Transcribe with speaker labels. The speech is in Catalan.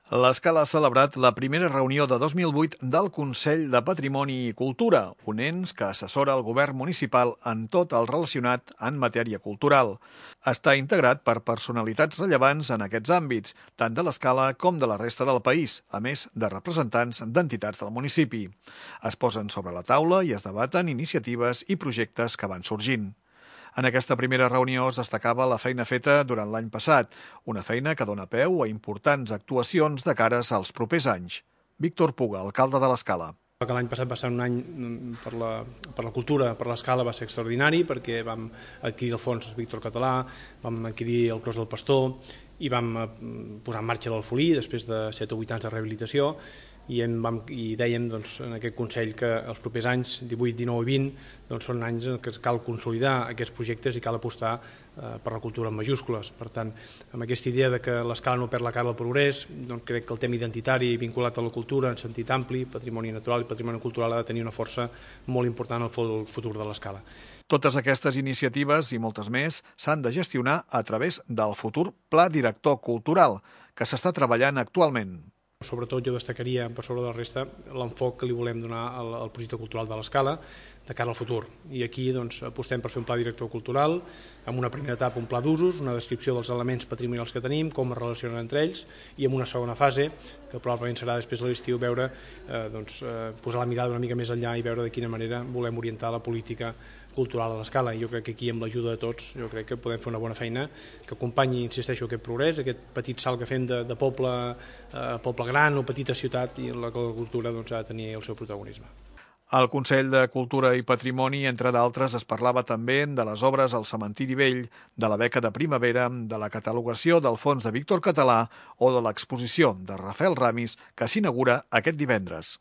Speaker 1: L'Escala ha celebrat la primera reunió de 2008 del Consell de Patrimoni i Cultura, un ens que assessora el govern municipal en tot el relacionat en matèria cultural. Està integrat per personalitats rellevants en aquests àmbits, tant de l'Escala com de la resta del país, a més de representants d'entitats del municipi. Es posen sobre la taula i es debaten iniciatives i projectes que van sorgint. En aquesta primera reunió es destacava la feina feta durant l'any passat, una feina que dona peu a importants actuacions de cares als propers anys. Víctor Puga, alcalde de l'Escala.
Speaker 2: L'any passat va ser un any per la cultura, per l'Escala va ser extraordinari perquè vam adquirir el fons Víctor Català, vam adquirir el Clos del Pastor i vam posar en marxa l'Alfolí després de 7 o 8 anys de rehabilitació i dèiem en aquest Consell que els propers anys, 18, 19 i 20, són anys en què cal consolidar aquests projectes i cal apostar per la cultura en majúscules. Per tant, amb aquesta idea de que l'Escala no perd la cara al progrés, crec que el tema identitari vinculat a la cultura en sentit ampli, patrimoni natural i patrimoni cultural ha de tenir una força molt important al futur de l'Escala.
Speaker 1: Totes aquestes iniciatives i moltes més s'han de gestionar a través del futur Pla Director Cultural, que s'està treballant actualment.
Speaker 2: Sobretot jo destacaria, per sobre de la resta, l'enfoc que li volem donar al projecte cultural de l'Escala de cara al futur. I aquí apostem per fer un pla director cultural, amb una primera etapa un pla d'usos, una descripció dels elements patrimonials que tenim, com es relacionen entre ells, i en una segona fase, que probablement serà després de l'estiu, posar la mirada una mica més enllà i veure de quina manera volem orientar la política cultural a l'Escala. I jo crec que aquí, amb l'ajuda de tots, jo crec que podem fer una bona feina que acompanyi, insisteixo, aquest progrés, aquest petit salt que fem de poble a poble gran o petita ciutat, i en la cultura ha de tenir el seu protagonisme.
Speaker 1: Al Consell de Cultura i Patrimoni, entre d'altres, es parlava també de les obres al Cementiri Vell, de la beca de primavera, de la catalogació del fons de Víctor Català o de l'exposició de Rafael Ramis, que s'inaugura aquest divendres.